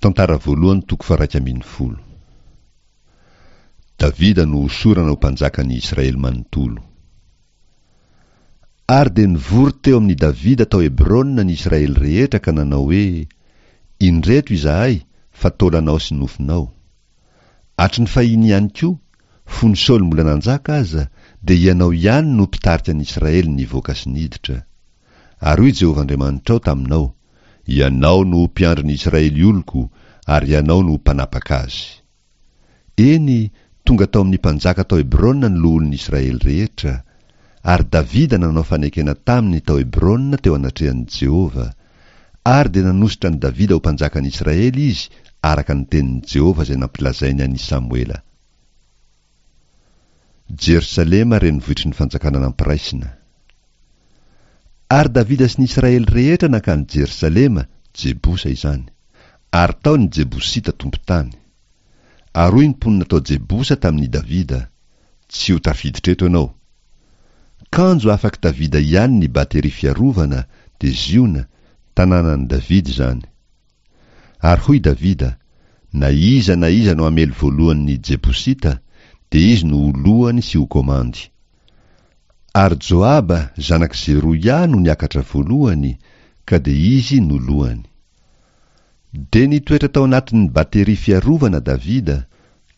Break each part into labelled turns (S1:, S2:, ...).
S1: Tantara voalohany toko faha-11. Davida no hosorana ho mpanjakan'ny Israely manontolo. Ary dia nivory teo amin'i Davida tao Hebrona ny Israely rehetra ka nanao hoe, Indreto izahay, fa taolanao sy nofonao. Hatry ny fahiny ihany koa, fony Saoly mbola nanjaka aza, dia ianao ihany no mpitarika ny Israely nivoaka sy niditra. Ary hoy Jehovah Andriamanitrao taminao, Ianao no ho mpiandry ny Israely oloko, ary ianao no ho mpanapaka azy. Eny, tonga tao amin'ny mpanjaka tao Hebrona ny loholon'ny Israely rehetra, ary Davida nanao fanekena taminy tao Hebrona teo anatrehan'i Jehovah, ary dia nanosotra an'i Davida ho mpanjakan'ny Israely izy araka ny tenin'i Jehovah izay nampilazainy an'i Samoela. Jerosalema renivohitry ny fanjakana nampiraisina. Ary Davida sy ny Israely rehetra nankany Jerosalema, Jebosa izany. Ary tao ny Jebosita tompon-tany. Ary hoy ny mponina tao Jebosa tamin' i Davida, Tsy ho tafiditra eto ianao. Kanjo afak' Davida ihany ny bateria fiarovana, dia Ziona, tanànan'i Davida izany. Ary hoy Davida, Na iza na iza no hamely voalohany ny Jebosita, dia izy no ho lohany sy ho komandy. Ary Joaba, zanak'i Zeroia, no niakatra voalohany, ka dia izy no lohany. Dia nitoetra tao anatin'ny bateria fiarovana Davida,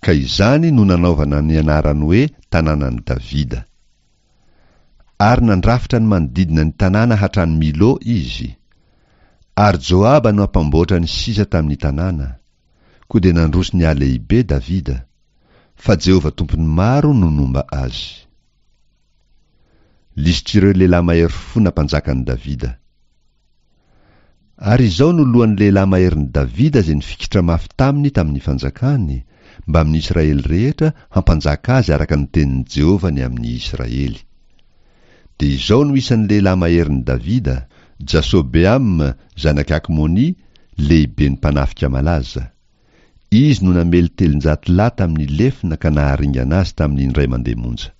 S1: ka izany no nanaovana ny anarany hoe Tanànan'i Davida. Ary nandrafitra ny manodidina ny tanàna hatrany Milo izy. Ary Joaba no hampamboatra ny sisa tamin'ny tanàna. Koa dia nandroso nihalehibe Davida, fa Jehovah Tompon'ny maro no nomba azy. Lisitr'ireo lehilahy mahery fo nampanjakan'i Davida. Ary izao no lohan'ny lehilahy maherin'i Davida izay nifikitra mafy taminy tamin'ny fanjakany, mbamin'ny Israely rehetra hampanjaka azy araka ny tenin'i Jehovah ny amin'ny Israely. Dia izao no isan'ny lehilahy maherin'i Davida, Jasobeama zanak'i Akmoni, lehiben'ny mpanafika malaza. Izy no namely 300 lahy tamin'ny lefona ka naharingana azy tamin'ny indray mandeha monja.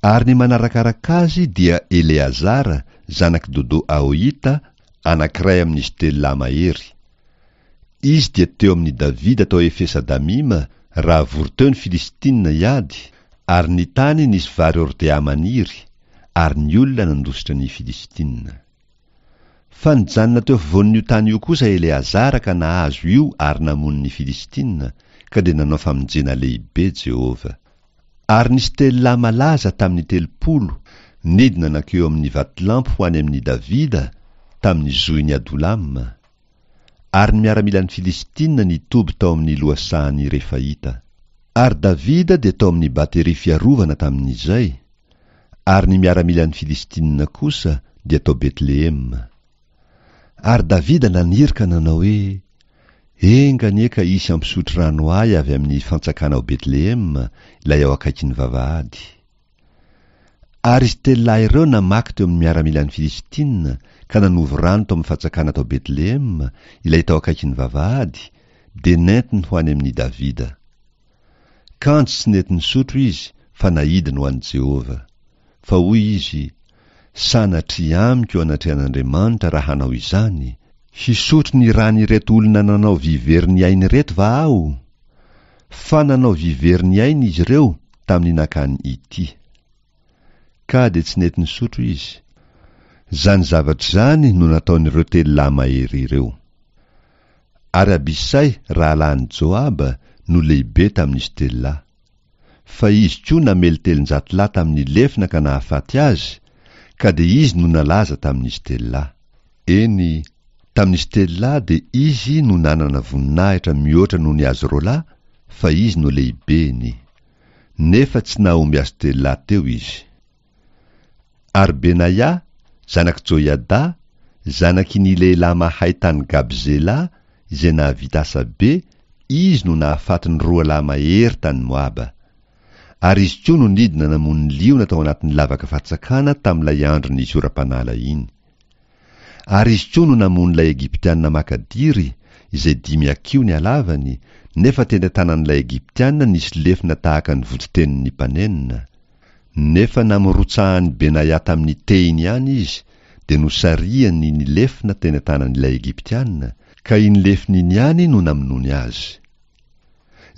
S1: Ary ny manarakaraka azy dia Eleazara, zanak'i Dodo Ahohita, anankiray amin'izy telo lahy mahery. Izy dia teo amin'i Davida tao Efesa-damima, raha vory teo ny Filistina hiady, ary ny tany nisy vary hordea maniry, ary ny olona nandositra ny Filistina. Fa nijanona teo afovoan'io tany io kosa Eleazara ka nahazo io ary namono ny Filistina, ka dia nanao famonjena lehibe Jehovah. Ary nisy telo lahy malaza tamin'ny 30, nidina nankeo amin'ny vatolampy ho any amin'i Davida, tamin'ny zohin'i Adolama. Ary ny miaramilan'ny Filistina nitoby tao amin'ny lohasahan'ny Refaita. Ary Davida dia tao amin'ny bateria fiarovana tamin'izay, ary ny miaramilan'ny Filistina kosa dia tao Betlehema. Ary Davida naniry ka nanao hoe, Enga anie ka hisy hampisotro rano ahy avy amin'ny fantsakana ao Betlehema, ilay ao akaikin'ny vavahady. Ary izy telo lahy ireo namaky teo amin'ny miaramilan'ny Filistina ka nanovo rano tao amin'ny fantsakana tao Betlehema, ilay tao akaikin'ny vavahady, dia nentiny ho any amin'i Davida. Kanjo tsy nety nisotro izy fa naidiny ho an'i Jehovah. Fa hoy izy, Sanatria amiko eo anatrehan'Andriamanitra raha hanao izany, hisotro ny ran'ireto olona nanao vy very ny ainy ireto va aho? Fa nanao vy very ny ainy izy ireo tamin'ny nakany ity. Ka dia tsy nety nisotro izy. Izany zavatra izany no nataon'ireo telo lahy mahery ireo. Ary Abisay rahalahin'i Joaba no lehibe tamin'izy telo lahy. Fa izy koa namely 300 lahy tamin'ny lefona ka nahafaty azy, ka dia izy no nalaza tamin'izy telo lahy. Eny, tamin'izy telo lahy dia izy no nanana voninahitra mihoatra noho ny azy roalahy, fa izy no lehibeny. Nefa tsy nahomby azy telo lahy teo izy. Ary Benaia, zanak'i Joiada, zanaky ny lehilahy mahay tany Gabzela, izay nahavita asa be, izy no nahafaty ny roa lahy mahery tany Moaba. Ary izy koa no nidina namono ny liona tao anatin'ny lavaka fatsakana tamin'ilay andro nisy oram-panala iny. Ary izy koa no namono ilay Egyptiana makadiry, izay dimy hakiho ny halavany, nefa teny an-tanan'ilay Egyptiana nisy lefona tahaka ny voditenin'ny mpanenona. Nefa namorotsahan'i Benaia tamin'ny tehiny ihany izy, dia nosarihany ny lefona teny an-tanan'ilay Egyptiana, Ka iny lefona iny ihany no namonoany azy.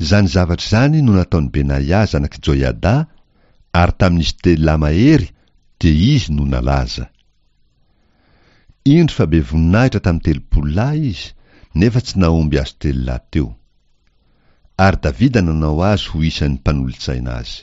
S1: Izany zavatra izany no nataon'i Benaia zanak'i Joiada, ary tamin'izy telo lahy mahery dia izy no nalaza. Indro fa be voninahitra tamin'ny 30 lahy izy, nefa tsy nahomby azy telo lahy teo. Ary Davida nanao azy ho isan'ny mpanolotsaina azy.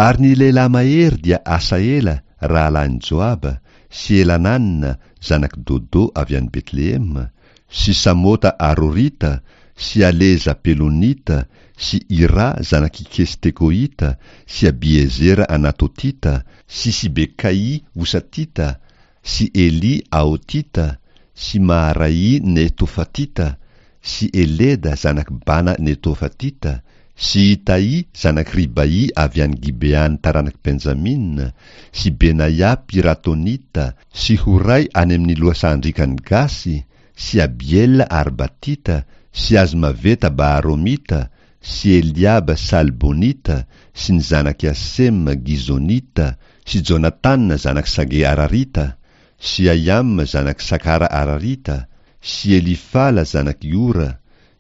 S1: Ary ny lehilahy mahery dia Asahela rahalahin'i Joaba, sy Elanana zanak'i Dodo avy any Betlehema, sy Samota Arorita, sy Aleza Pelonita, sy Ira zanak'i Ikesy Tekoita, sy Abiezera Anatotita, sy Sibekaì Hosatita, sy Elì Ahotita, sy Maharaì Netofatita, sy Eleda zanak'i Bana Netofatita, sy Itaì zanak'i Ribaì avy any Gibean'ny taranak'i Benjamina, sy Benaia Piratonita, sy Horay any amin'ny lohasahan-driakan'i Gasy, sy Abiela Arbatita, sy Azmaveta Baharomita, sy Eliaba Salbonita, sy ny zanak'i Asema Gizonita, sy Jonatana zanak'i Sage Ararita, sy Ahiama zanak'i Sakara Ararita, sy Elifala zanak'i Ora,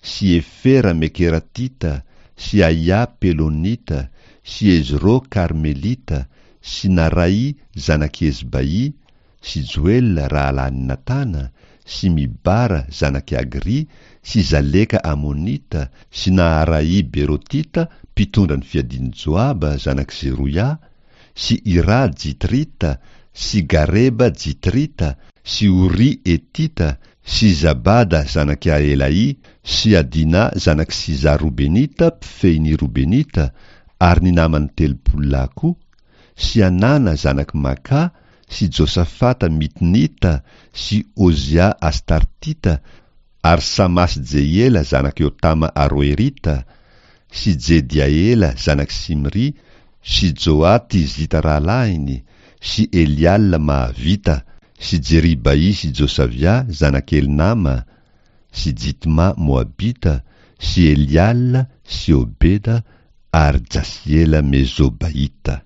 S1: sy Efera Mekeratita, sy Ahià Pelonita, sy Ezrô Karmelita, sy Naraì zanak'i Ezbaì, sy Joela rahalahin'i Natana, sy Mibara zanak'i Agrì, sy Zaleka Amonita, sy Naharaì Berotita mpitondra ny fiadian'i Joaba zanak'i Zeroia, sy Irà Jitrita, sy Gareba Jitrita, sy Oria Hetita, sy Zabada zanak'i Ahelahì, sy Adinà zanak'i Sizà Robenita mpifehy ny Robenita, ary ny namany 30 lahy koa, sy Anana zanak'i Makà, sy Josafata Mitnita, sy Ozia Astartita, ary Samà sy Jehiela zanak'i Jotama Aroerita, sy Jediaela zanak'i Simrỳ, sy Joà Tizita rahalahiny, sy Eliala Mahavita, sy Jeribaì sy Josavià zanak'i Elnama, sy Jitmà Moabita, sy Eliala sy Obeda ary Jasiela Mezobaita.